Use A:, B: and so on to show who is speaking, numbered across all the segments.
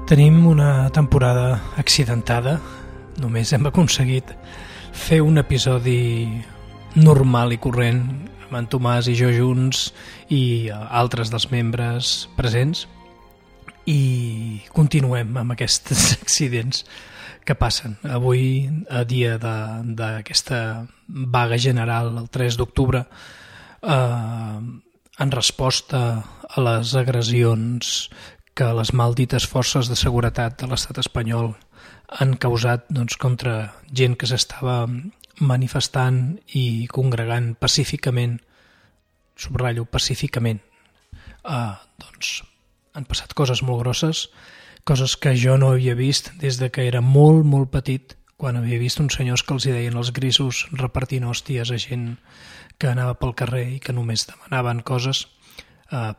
A: Tenim una temporada accidentada. Només hem aconseguit fer un episodi normal i corrent amb en Tomàs i jo junts i altres dels membres presents, i continuem amb aquests accidents que passen. Avui, a dia d'aquesta vaga general, el 3 d'octubre, en resposta a les agressions que les maldites forces de seguretat de l'estat espanyol han causat contra gent que s'estava manifestant i congregant pacíficament, subratllo, pacíficament, han passat coses molt grosses, coses que jo no havia vist des de que era molt, molt petit, quan havia vist uns senyors que els hi deien els grisos repartint hòsties a gent que anava pel carrer i que només demanaven coses,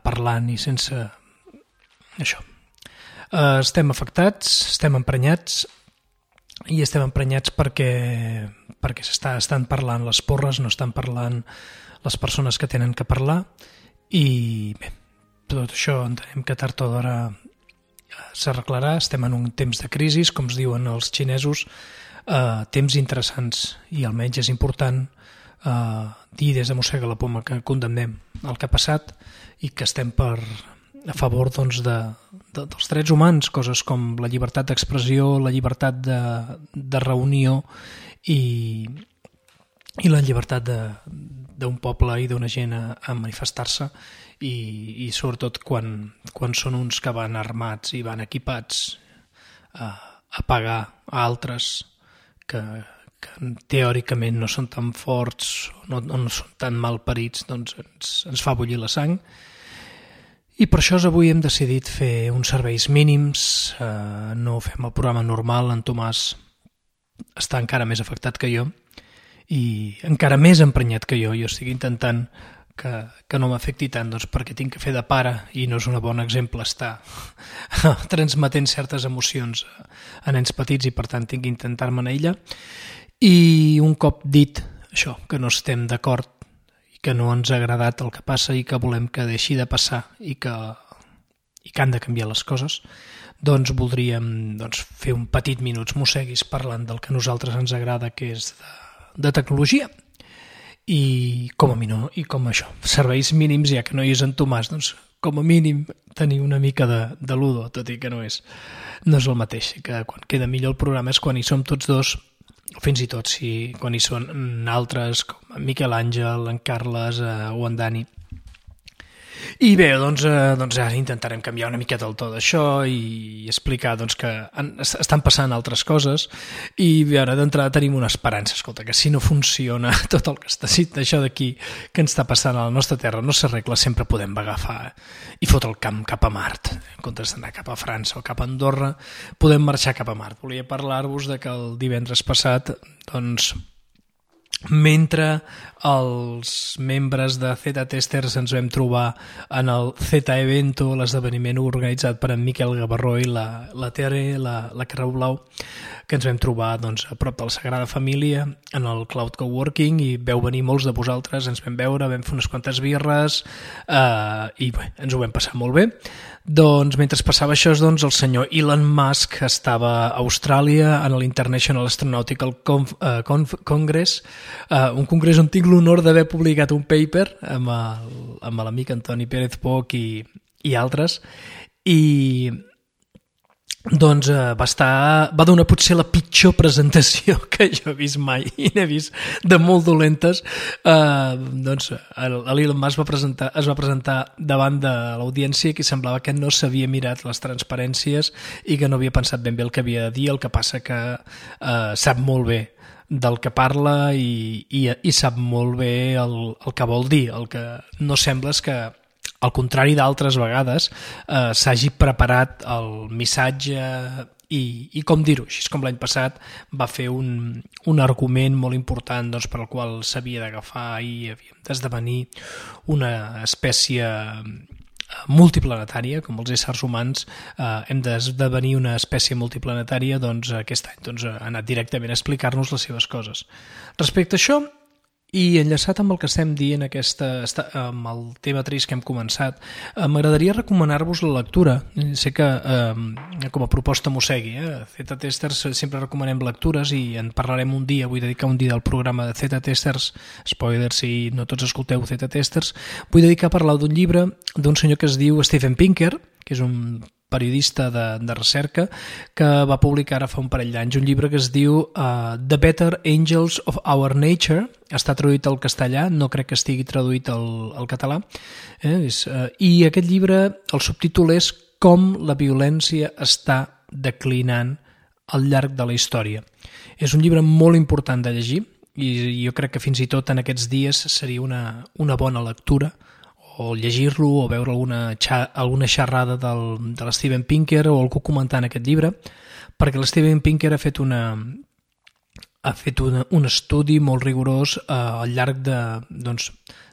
A: parlant i sense això. Estem afectats, estem emprenyats, i estem emprenyats perquè estan parlant les porres, no estan parlant les persones que tenen que parlar, i bé, tot això entenem que tard o d'hora s'arreglarà. Estem en un temps de crisi, com es diuen els xinesos, temps interessants, i almenys és important dir des de Mossega la Poma que condemnem el que ha passat i que estem a favor dels drets humans, coses com la llibertat d'expressió, la llibertat de reunió i la llibertat d'un poble i d'una gent a manifestar-se, i sobretot quan són uns que van armats i van equipats a pagar a altres que teòricament no són tan forts o no són tan malparits, doncs ens fa bullir la sang. I per això avui hem decidit fer uns serveis mínims, no fem el programa normal. En Tomàs està encara més afectat que jo i encara més emprenyat que jo. Jo estic intentant que no m'afecti tant, perquè tinc que fer de pare i no és un bon exemple estar transmetent certes emocions a nens petits, i per tant tinc que intentar-me en ella. I un cop dit això, que no estem d'acord, que no ens ha agradat el que passa i que volem que deixi de passar i que han de canviar les coses, doncs voldríem fer un petit Minuts Mosseguis parlant del que a nosaltres ens agrada, que és de tecnologia, i com això, serveis mínims, ja que no hi és en Tomàs, doncs com a mínim tenir una mica de ludo, tot i que no és el mateix, que quan queda millor el programa és quan hi som tots dos, o fins i tot quan hi són altres com en Miquel Àngel, en Carles o en Dani. I bé, doncs ara intentarem canviar una miqueta el to d'això i explicar que estan passant altres coses, i ara d'entrada tenim una esperança. Escolta, que si no funciona tot el que està dit això d'aquí que ens està passant a la nostra terra no s'arregla, sempre podem agafar i fotre el camp cap a Mart. En comptes d'anar cap a França o cap a Andorra, podem marxar cap a Mart. Volia parlar-vos de que el divendres passat, mentre els membres de Z-Testers ens vam trobar en el Z-Evento, l'esdeveniment organitzat per en Miquel Gavarró i la Tere, la Carreu Blau, que ens vam trobar a prop de la Sagrada Família en el Cloud Coworking, i veu venir molts de vosaltres, ens vam veure, vam fer unes quantes birres i bé, ens ho vam passar molt bé. Doncs mentre passava això, el senyor Elon Musk estava a Austràlia en l'International Astronautical Congress, un congrés on tinc l'honor d'haver publicat un paper amb l'amic Antoni Pérez Poch i altres, i va donar potser la pitjor presentació que jo he vist mai, i n'he vist de molt dolentes. L'Elon Musk es va presentar davant de l'audiència que semblava que no s'havia mirat les transparències i que no havia pensat ben bé el que havia de dir. El que passa que sap molt bé del que parla i sap molt bé el que vol dir. El que no sembla és que, al contrari d'altres vegades, s'hagi preparat el missatge i com dir-ho, així com l'any passat va fer un argument molt important per al qual s'havia d'agafar i havíem d'esdevenir una espècie multiplanetària, com els éssers humans hem d'esdevenir una espècie multiplanetària. Aquest any ha anat directament a explicar-nos les seves coses. Respecte a això, I enllaçat amb el que estem dient amb el tema trist que hem començat, m'agradaria recomanar-vos la lectura. Sé que com a proposta mossegui, Zeta Testers sempre recomanem lectures i en parlarem un dia, vull dedicar un dia del programa de Zeta Testers, spoiler si no tots escolteu Zeta Testers, vull dedicar a parlar d'un llibre d'un senyor que es diu Steven Pinker, que és un periodista de recerca, que va publicar ara fa un parell d'anys un llibre que es diu The Better Angels of Our Nature. Està traduït al castellà, no crec que estigui traduït al català. I aquest llibre, el subtítol és Com la violència està declinant al llarg de la història. És un llibre molt important de llegir i jo crec que fins i tot en aquests dies seria una bona lectura, o llegir-lo o veure alguna xerrada de l'Steven Pinker o algú comentant aquest llibre, perquè l'Steven Pinker ha fet un estudi molt rigorós al llarg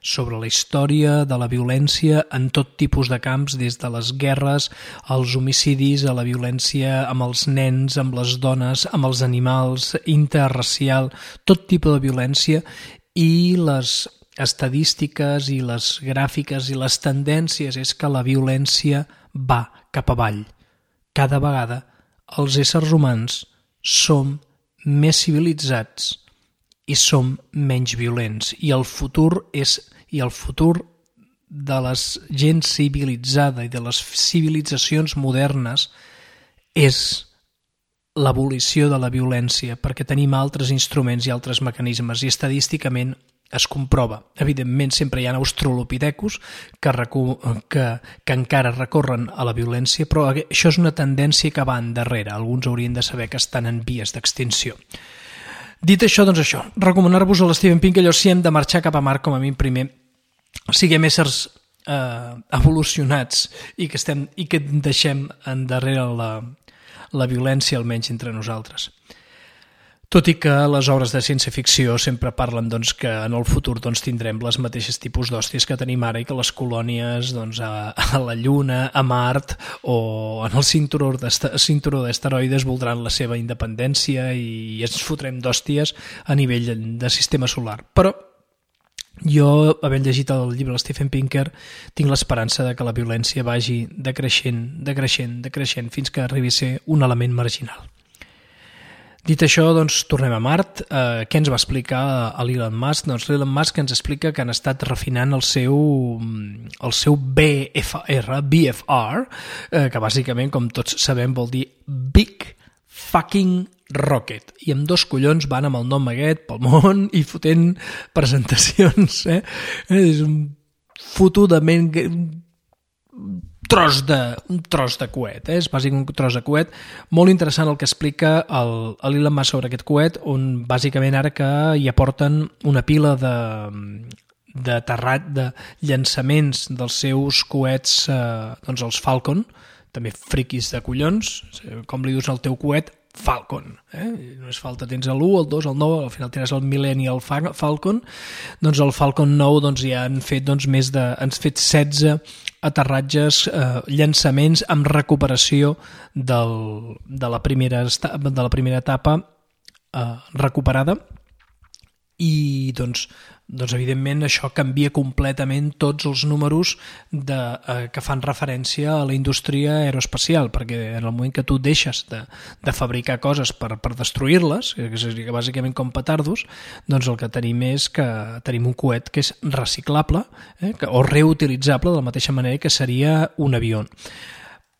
A: sobre la història de la violència en tot tipus de camps, des de les guerres, als homicidis, a la violència amb els nens, amb les dones, amb els animals, interracial, tot tipus de violència, i les estadístiques i les gràfiques i les tendències és que la violència va cap avall. Cada vegada els éssers humans som més civilitzats i som menys violents, i el futur de la gent civilitzada i de les civilitzacions modernes és l'abolició de la violència, perquè tenim altres instruments i altres mecanismes, i estadísticament es comprova. Evidentment, sempre hi ha australopithecus que encara recorren a la violència, però això és una tendència que va endarrere. Alguns haurien de saber que estan en vies d'extinció. Dit això, doncs això, recomanar-vos a l'Steven Pinker, allò si hem de marxar cap a Mart, com a mi primer, siguem éssers evolucionats i que deixem endarrere la violència, almenys entre nosaltres. Tot i que les obres de ciència-ficció sempre parlen que en el futur tindrem les mateixes tipus d'hòsties que tenim ara i que les colònies a la Lluna, a Mart o en el cinturó d'asteroides voldran la seva independència i ens fotrem d'hòsties a nivell de sistema solar. Però jo, havent llegit el llibre de Steven Pinker, tinc l'esperança de que la violència vagi decreixent fins que arribi a ser un element marginal. Dit això, tornem a Mart. Què ens va explicar l'Elon Musk? L'Elon Musk ens explica que han estat refinant el seu BFR, que bàsicament, com tots sabem, vol dir Big Fucking Rocket. I amb 2 collons van amb el nom aquest pel món i fotent presentacions. És un fotudament un tros de coet, és bàsicament un tros de coet. Molt interessant el que explica l'Elon Musk sobre aquest coet, on bàsicament ara que hi aporten una pila de llançaments dels seus coets, els Falcon, també friquis de collons, com li dius al teu coet? Falcon. Només falta, tens l'1, el 2, el 9, al final tens el Millennial Falcon. Doncs el Falcon 9 ja han fet han fet 16 aterratges, llançaments amb recuperació de la primera etapa recuperada, i evidentment això canvia completament tots els números que fan referència a la indústria aeroespacial, perquè en el moment que tu deixes de fabricar coses per destruir-les, que seria bàsicament com petardos, doncs el que tenim és que tenim un coet que és reciclable o reutilitzable de la mateixa manera que seria un avió.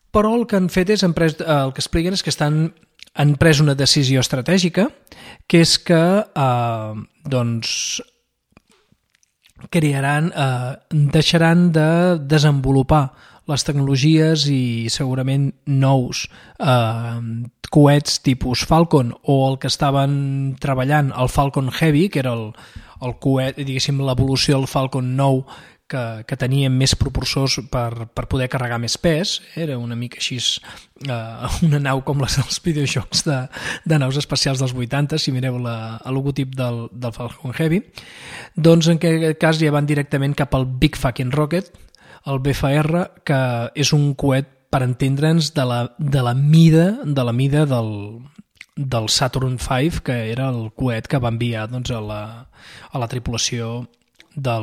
A: Però el que han fet és, el que expliquen és que han pres una decisió estratègica, que és que deixaran de desenvolupar les tecnologies i segurament nous coets tipus Falcon, o el que estaven treballant, el Falcon Heavy, que era el coet, diguéssim, l'evolució del Falcon 9, que tenien més propulsors per poder carregar més pes. Era una mica així una nau com les dels videojocs de naus espacials dels 80, si mireu el logotip del Falcon Heavy. Doncs en aquest cas ja van directament cap al Big Fucking Rocket, el BFR, que és un coet, per entendre'ns, de la mida del Saturn V, que era el coet que va enviar doncs, a la tripulació de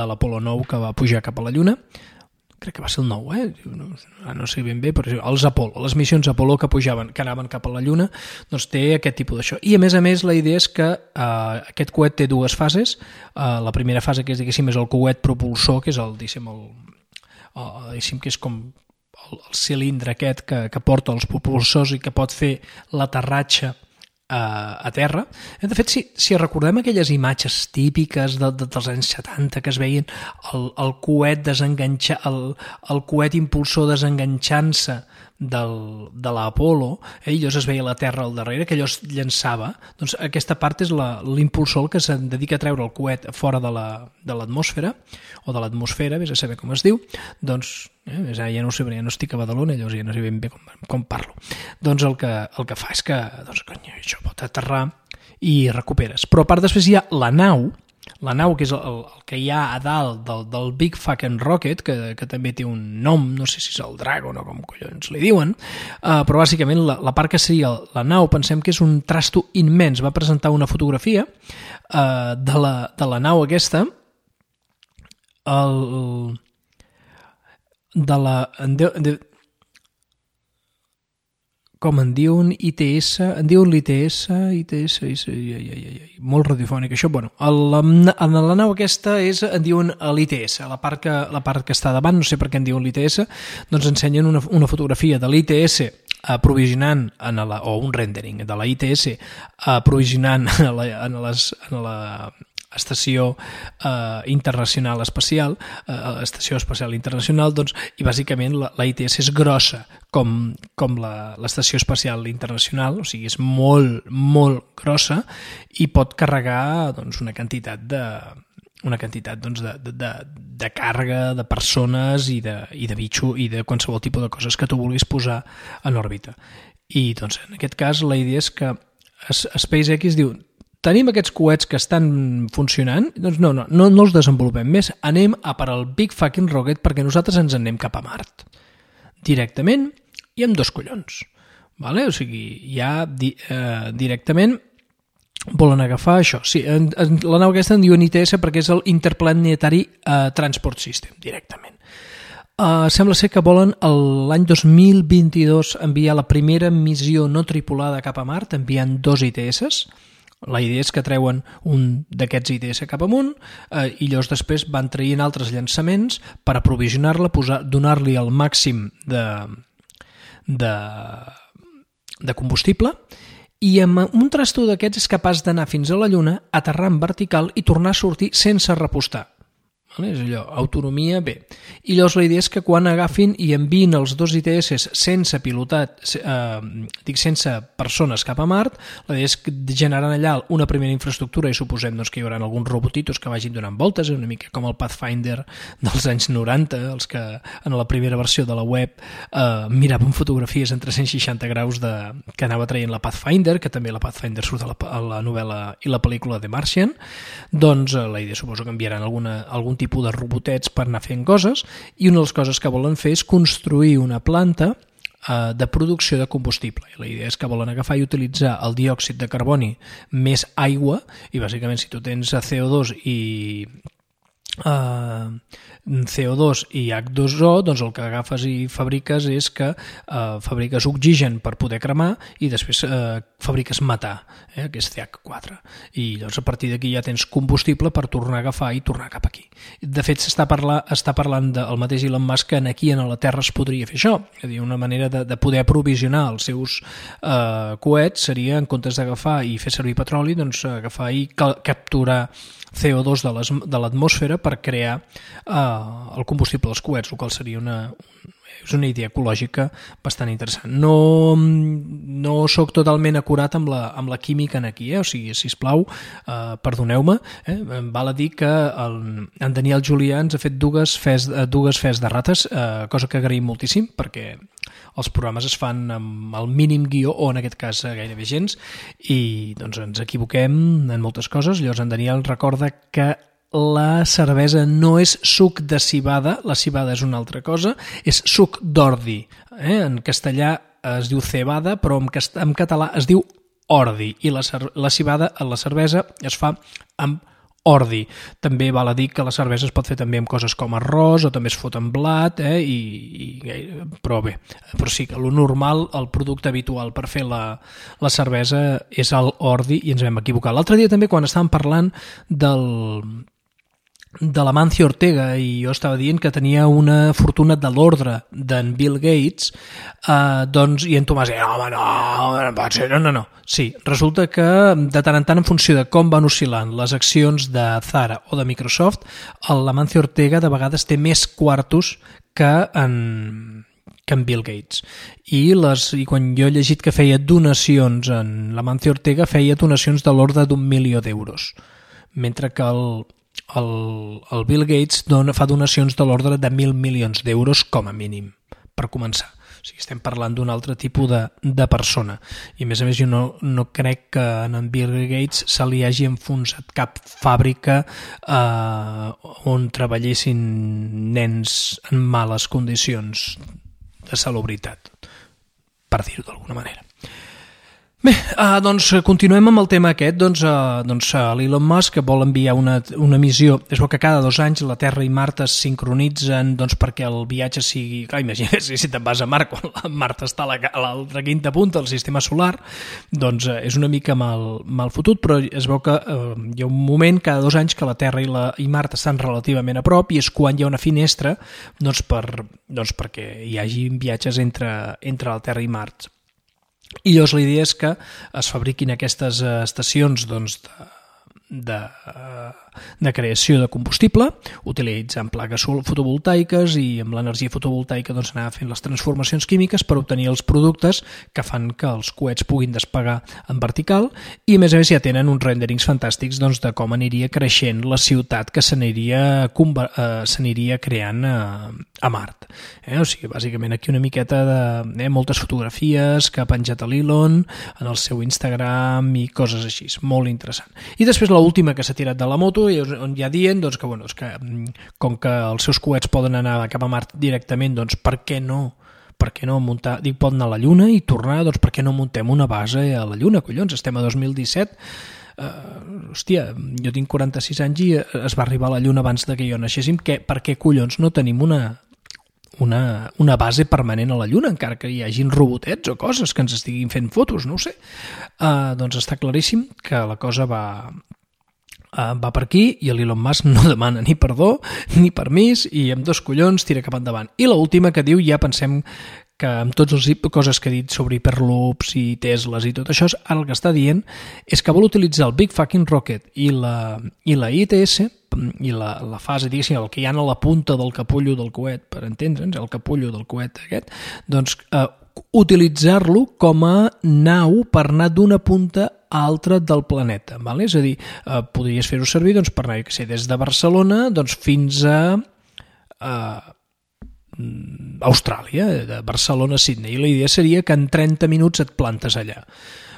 A: l'Apolo 9 que va pujar cap a la Lluna. Crec que va ser el 9, no sé ben bé, però els Apolo, les missions Apolo que pujaven, que anaven cap a la Lluna, doncs té aquest tipus d'això. I a més, la idea és que aquest coet té dues fases. La primera fase, que és, diguéssim, és el coet propulsor, que és diguéssim, que és com el cilindre aquest que porta els propulsors i que pot fer l'aterratge a terra. De fet, si recordem aquelles imatges típiques dels anys 70 que es veien el coet el coet impulsor desenganxant-se de l'Apolo, i llavors es veia la Terra al darrere, que allò es llançava. Doncs aquesta part és l'impulsor que es dedica a treure el coet fora de l'atmosfera, o de l'atmosfera, vés a saber com es diu. Doncs ja no ho sé, ja no estic a Badalona, llavors ja no sé ben bé com parlo. Doncs el que fa és que això pot aterrar i recuperes. Però a part després hi ha la nau, que és el que hi ha a dalt del Big Fucking Rocket, que també té un nom, no sé si és el Dragon o com collons li diuen, però bàsicament la part que seria la nau, pensem que és un trasto immens. Va presentar una fotografia de la nau aquesta, com en diuen ITS, molt radiofònic això. Bueno, en la nau aquesta en diuen l'ITS, la part que està davant, no sé per què en diuen l'ITS, doncs ensenyen una fotografia de l'ITS aprovisionant o un rendering de la ITS aprovisionant en la estació internacional espacial, estació espacial internacional, doncs, i bàsicament la ITS és grossa com l'estació espacial internacional, o sigui, és molt, molt grossa i pot carregar doncs, una quantitat de càrrega, de persones i de bitxo i de qualsevol tipus de coses que tu vulguis posar en òrbita. I doncs, en aquest cas la idea és que SpaceX diu: tenim aquests coets que estan funcionant, doncs no els desenvolupem més, anem a per al Big Fucking Rocket perquè nosaltres ens anem cap a Mart directament i amb 2 collons, vale? O sigui, ja directament volen agafar això. Sí, la nau aquesta en diuen ITS perquè és el Interplanetary Transport System, directament. Sembla ser que volen l'any 2022 enviar la primera missió no tripulada cap a Mart, enviant 2 ITS. La idea és que treuen un d'aquests ITS cap amunt i llavors després van traient altres llançaments per aprovisionar-la, donar-li el màxim de combustible, i amb un trasto d'aquests és capaç d'anar fins a la Lluna, aterrar en vertical i tornar a sortir sense repostar. És allò, autonomia, bé. I llavors la idea és que quan agafin i enviïn els 2 ITS sense pilotat, sense persones cap a Mart, la idea és que generaran allà una primera infraestructura i suposem que hi haurà alguns robotitos que vagin donant voltes, una mica com el Pathfinder dels anys 90, els que en la primera versió de la web miraven fotografies en 360 graus que anava traient la Pathfinder, que també la Pathfinder surt a la novel·la i la pel·lícula The Martian. Doncs la idea suposo que enviaran algun tipus de robotets per anar fent coses, i una de les coses que volen fer és construir una planta de producció de combustible. I la idea és que volen agafar i utilitzar el diòxid de carboni més aigua, i bàsicament si tu tens CO2 i H2O, doncs el que agafes i fabriques és que fabriques oxigen per poder cremar i després fabriques metà, que és CH4. I llavors a partir d'aquí ja tens combustible per tornar a agafar i tornar cap aquí. De fet, està parlant del mateix Elon Musk que aquí a la Terra es podria fer això. És a dir, una manera de poder aprovisionar els seus coets seria, en comptes d'agafar i fer servir petroli, doncs agafar i capturar CO2 de l'atmosfera per crear el combustible dels coets, el qual seria és una idea ecològica bastant interessant. No sóc totalment acurat amb la química aquí, o sigui, sisplau, perdoneu-me. Val a dir que en Daniel Julià ens ha fet dues fes de rates, cosa que agraïm moltíssim, perquè els programes es fan amb el mínim guió, o en aquest cas gairebé gens, i doncs ens equivoquem en moltes coses. Llavors en Daniel recorda que la cervesa no és suc de civada, la civada és una altra cosa, és suc d'ordi. En castellà es diu cebada, però en català es diu ordi, i la cebada a la cervesa es fa amb ordi. També val a dir que la cervesa es pot fer també amb coses com arròs, o també es fot amb blat, però bé, però sí que lo normal, el producte habitual per fer la cervesa és el ordi, i ens vam equivocar. L'altre dia també, quan estàvem parlant de l'Amancio Ortega, i jo estava dient que tenia una fortuna de l'ordre d'en Bill Gates, doncs, i en Tomàs deia, home, no. Sí, resulta que de tant en tant, en funció de com van oscil·lant les accions de Zara o de Microsoft, l'Amancio Ortega de vegades té més quartos que en Bill Gates. I quan jo he llegit que feia donacions en l'Amancio Ortega, feia donacions de l'ordre d'1 milió d'euros, mentre que el Bill Gates fa donacions de l'ordre de 1.000 milions d'euros com a mínim, per començar. O sigui, estem parlant d'un altre tipus de persona. I a més, jo no crec que en Bill Gates se li hagi enfonsat cap fàbrica on treballessin nens en males condicions de salubritat, per dir-ho d'alguna manera. Bé, doncs continuem amb el tema aquest. L'Elon Musk vol enviar una missió. És bo que cada 2 anys la Terra i Mart es sincronitzen perquè el viatge sigui... Clar, imagina't si te'n vas a Mart quan Mart està a l'altra quinta punta del sistema solar, doncs és una mica mal fotut, però es veu que hi ha un moment cada 2 anys que la Terra i Mart estan relativament a prop, i és quan hi ha una finestra perquè hi hagi viatges entre la Terra i Mart. I llavors la idea és que es fabriquin aquestes estacions de creació de combustible, utilitzant plaques fotovoltaiques, i amb l'energia fotovoltaica anar fent les transformacions químiques per obtenir els productes que fan que els coets puguin despegar en vertical, i a més ja tenen uns renderings fantàstics de com aniria creixent la ciutat que s'aniria creant a Mart. O sigui, bàsicament aquí una miqueta de moltes fotografies que ha penjat a l'Elon en el seu Instagram i coses així, molt interessant. I després l'última que s'ha tirat de la moto, on ja dient que com que els seus coets poden anar cap a Mart directament, doncs per què no muntar, poden anar a la Lluna i tornar, doncs per què no muntem una base a la Lluna, collons, estem a 2017, hòstia, jo tinc 46 anys i es va arribar a la Lluna abans de que jo naixéssim, per què collons no tenim una base permanent a la Lluna, encara que hi hagin robotets o coses que ens estiguin fent fotos, no ho sé. Doncs està claríssim que la cosa va per aquí, i l'Elon Musk no demana ni perdó ni permís, i amb 2 collons tira cap endavant. I l'última que diu, ja pensem que amb totes les coses que he dit sobre hiperloops i Tesles i tot això, ara el que està dient és que vol utilitzar el Big Fucking Rocket i la ITS, i la fase, diguéssim, el que hi ha a la punta del capullo del coet, per entendre'ns, el capullo del coet aquest, doncs utilitzar-lo com a nau per anar d'una punta a altra del planeta, ¿vale? És a dir, podries fer-ho servir per anar, des de Barcelona fins a Austràlia, de Barcelona a Sydney, i la idea seria que en 30 minuts et plantes allà.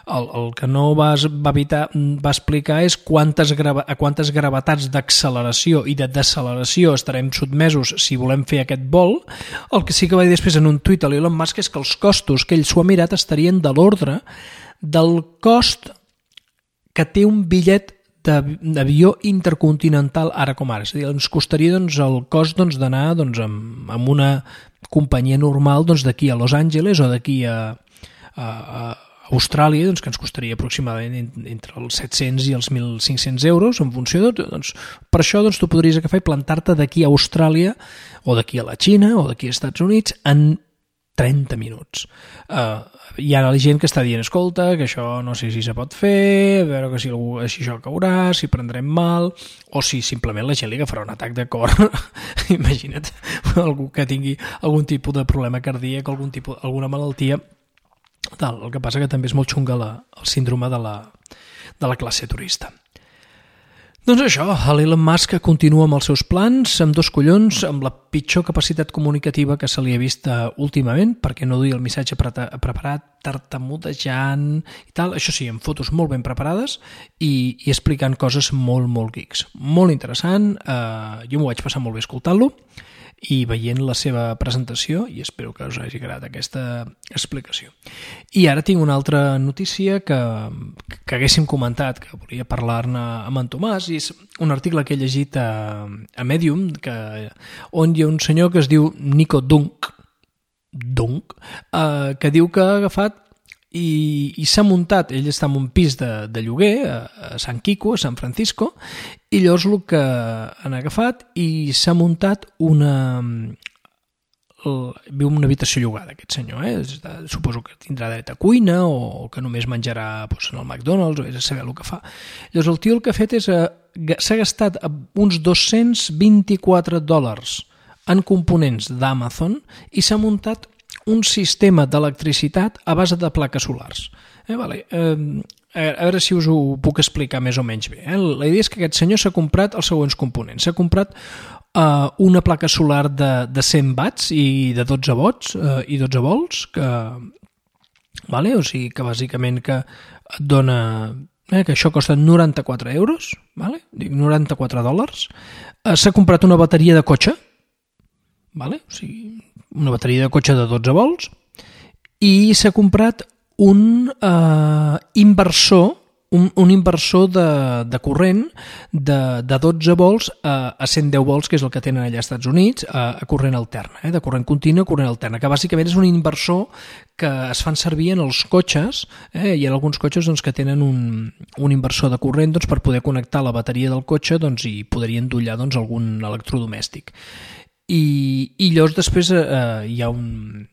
A: El que no va explicar és a quantes gravetats d'acceleració i de deceleració estarem sotmesos si volem fer aquest vol. El que sí que va dir després en un tuit a l'Elon Musk és que els costos que ell s'ho ha mirat estarien de l'ordre del cost que té un bitllet d'avió intercontinental ara com ara. És a dir, ens costaria el cost d'anar amb una companyia normal d'aquí a Los Angeles o d'aquí a Austràlia, que ens costaria aproximadament entre els 700 i els 1.500 euros, en funció per això tu podries agafar i plantar-te d'aquí a Austràlia o d'aquí a la Xina o d'aquí als Estats Units en 30 minuts. Hi ha gent que està dient, escolta, que això no sé si se pot fer, a veure si això caurà, si prendrem mal, o si simplement la gent li agafarà un atac de cor. Imagina't, algú que tingui algun tipus de problema cardíac, alguna malaltia. El que passa que també és molt xunga el síndrome de la classe turista. Doncs això, l'Elon Musk continua amb els seus plans, amb 2 collons, amb la pitjor capacitat comunicativa que se li ha vist últimament, perquè no duia el missatge preparat, tartamudejant i tal, això sí, amb fotos molt ben preparades i explicant coses molt, molt geeks. Molt interessant, jo m'ho vaig passar molt bé escoltant-lo, i veient la seva presentació, i espero que us hagi agradat aquesta explicació. I ara tinc una altra notícia que haguéssim comentat, que volia parlar-ne amb en Tomàs, i és un article que he llegit a Medium, on hi ha un senyor que es diu Nico Dunk, que diu que ha agafat i s'ha muntat, ell està en un pis de lloguer a San Quico, a San Francisco, i llavors el que han agafat i s'ha muntat viu en una habitació llogada aquest senyor, suposo que tindrà dret a cuina o que només menjarà en el McDonald's, o és a saber el que fa. Llavors el tio el que ha fet és s'ha gastat uns $224 en components d'Amazon i s'ha muntat un sistema d'electricitat a base de plaques solars. A veure si us ho puc explicar més o menys bé. La idea és que aquest senyor s'ha comprat els següents components. S'ha comprat una placa solar de 100 watts i de 12 volts, o sigui que bàsicament que et dona... que això costa 94 euros, dic $94. S'ha comprat una bateria de cotxe, o sigui, una bateria de cotxe de 12 volts, i s'ha comprat un inversor de corrent de 12 volts a 110 volts, que és el que tenen allà als Estats Units, a corrent alterna, de corrent continu a corrent alterna, que bàsicament és un inversor que es fan servir en els cotxes. Hi ha alguns cotxes que tenen un inversor de corrent per poder connectar la bateria del cotxe i poder-hi endollar algun electrodomèstic. I llavors després hi ha una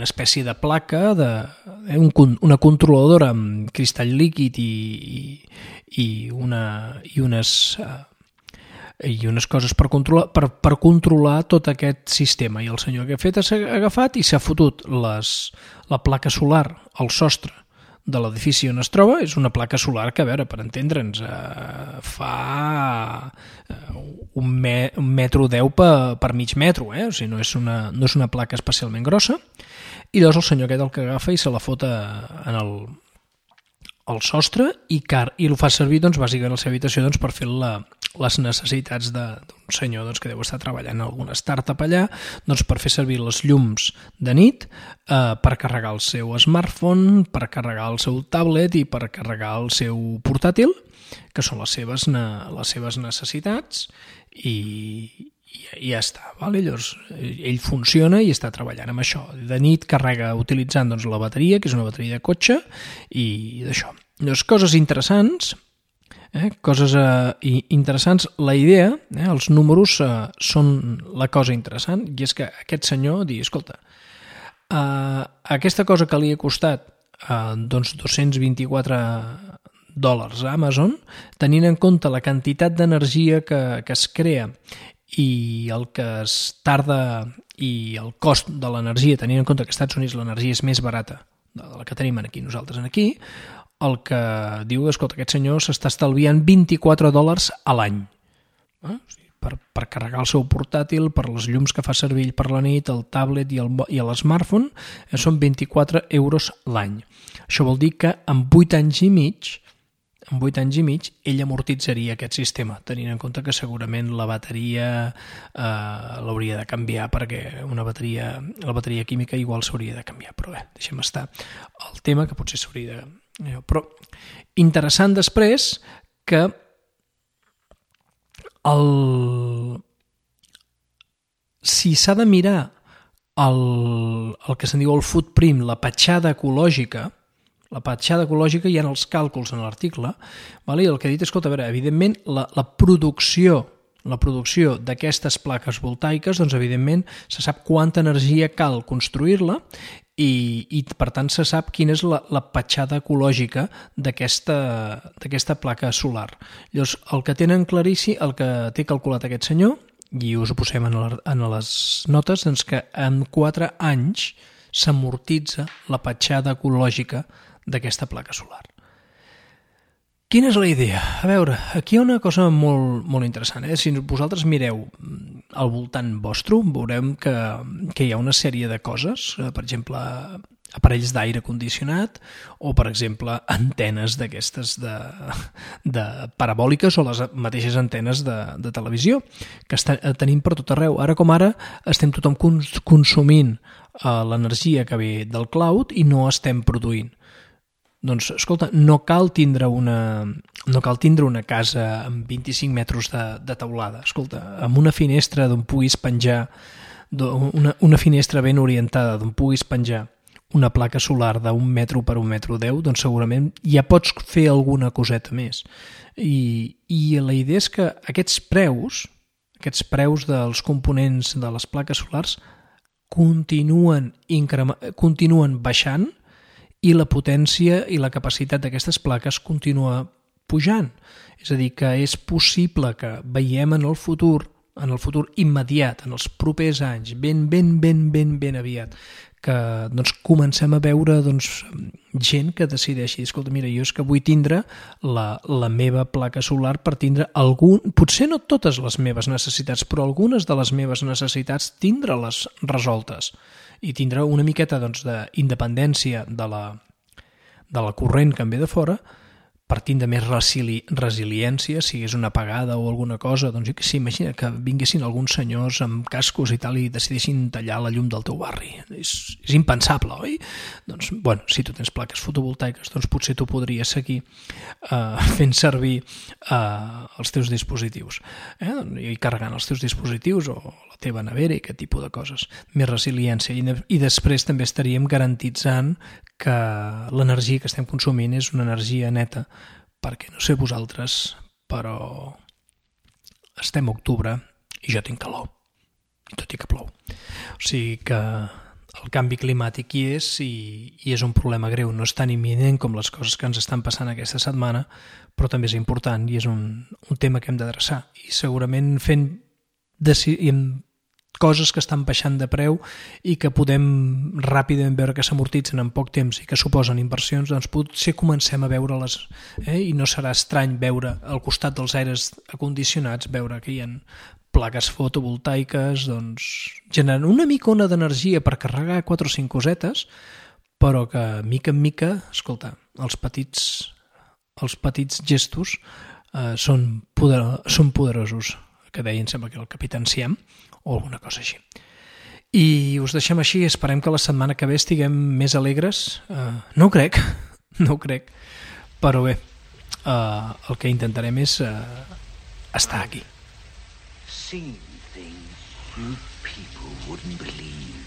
A: espècie de placa, una controladora amb cristall líquid i unes coses per controlar tot aquest sistema. I el senyor que ha fet s'ha agafat i s'ha fotut la placa solar al sostre de l'edifici on es troba. És una placa solar que, a veure, per entendre'ns, fa 1,10 m per mig metro, o sigui, no és una placa especialment grossa. I llavors el senyor aquest el que agafa i se la fot al sostre i el fa servir bàsicament a la seva habitació per fer les necessitats d'un senyor que deu estar treballant en alguna startup allà, per fer servir les llums de nit, per carregar el seu smartphone, per carregar el seu tablet i per carregar el seu portàtil, que són les seves necessitats, i ja està. Llavors ell funciona i està treballant amb això. De nit carrega utilitzant la bateria, que és una bateria de cotxe, i d'això. Llavors, coses interessants. La idea, els números són la cosa interessant, i és que aquest senyor digui, escolta, aquesta cosa que li ha costat $224 a Amazon, tenint en compte la quantitat d'energia que es crea i el que es tarda i el cost de l'energia, tenint en compte que als Estats Units l'energia és més barata de la que tenim nosaltres aquí, el que diu, escolta, aquest senyor s'està estalviant $24 a l'any. Per carregar el seu portàtil, per les llums que fa servir per la nit, el tablet i l'smartphone, són 24 euros l'any. Això vol dir que en 8 anys i mig ell amortitzaria aquest sistema, tenint en compte que segurament la bateria l'hauria de canviar, perquè la bateria química igual s'hauria de canviar, però bé, deixem estar el tema, que potser s'hauria de... Però interessant després que si s'ha de mirar el que se'n diu el footprint, la petjada ecològica, hi ha els càlculs en l'article, i el que ha dit és, escolta, a veure, evidentment la producció d'aquestes plaques voltaiques, evidentment se sap quanta energia cal construir-la i per tant se sap quina és la petjada ecològica d'aquesta placa solar. Llavors, el que tenen claríssim, el que té calculat aquest senyor, i us ho posem en les notes, que en 4 anys s'amortitza la petjada ecològica d'aquesta placa solar. Quina és la idea? A veure, aquí hi ha una cosa molt, molt interessant. Si vosaltres mireu al voltant vostre, veurem que hi ha una sèrie de coses. Per exemple, aparells d'aire condicionat o, per exemple, antenes d'aquestes de parabòliques o les mateixes antenes de televisió que tenim per tot arreu. Ara com ara estem tothom consumint l'energia que ve del cloud i no estem produint. Doncs, escolta, no cal tindre una casa amb 25 metres de teulada. Escolta, amb una finestra d'on puguis penjar, una finestra ben orientada d'on puguis penjar una placa solar d'1 metro per 1,10 metres, doncs segurament ja pots fer alguna coseta més. I la idea és que aquests preus dels components de les plaques solars continuen baixant i la potència i la capacitat d'aquestes plaques continua pujant. És a dir, que és possible que veiem en el futur immediat, en els propers anys, ben aviat, que doncs, comencem a veure gent que decideixi, escolta, mira, jo és que vull tindre la meva placa solar per tindre potser no totes les meves necessitats, però algunes de les meves necessitats tindre-les resoltes i tindre una miqueta d'independència de la corrent que em ve de fora, partint de més resiliència, si és una apagada o alguna cosa, doncs jo que sé, imagina que vinguessin alguns senyors amb cascos i tal i decidissin tallar la llum del teu barri. És impensable, oi? Doncs, bueno, si tu tens plaques fotovoltaiques, doncs potser tu podries seguir fent servir els teus dispositius i carregant els teus dispositius o la teva nevera i aquest tipus de coses. Més resiliència. I després també estaríem garantitzant que l'energia que estem consumint és una energia neta, perquè no sé vosaltres, però estem a octubre i jo tinc calor, tot i que plou. O sigui que el canvi climàtic hi és i és un problema greu, no és tan imminent com les coses que ens estan passant aquesta setmana, però també és important i és un tema que hem d'adreçar. I segurament fent coses que estan baixant de preu i que podem ràpidament veure que s'amortitzen en poc temps i que suposen inversions, doncs potser comencem a veure-les i no serà estrany veure al costat dels aires acondicionats, veure que hi ha plaques fotovoltaiques generant una micona d'energia per carregar 4 o 5 cosetes, però que mica en mica, escolta, els petits gestos són poderosos, que deia, em sembla que el capità Enciam, o alguna cosa així. I us deixem així, esperem que la setmana que ve estiguem més alegres. No ho crec, però bé, el que intentarem és estar aquí.
B: Seen things you people wouldn't believe.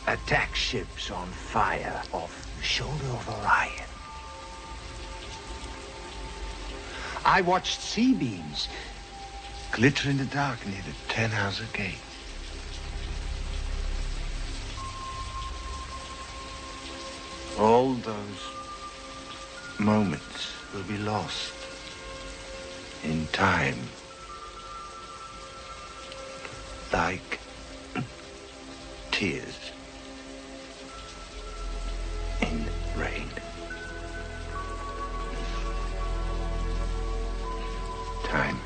B: Attack ships on fire off the shoulder of Orion. I watched sea beams glitter in the dark near the Tannhauser Gate. All those moments will be lost in time, like tears in rain. Time.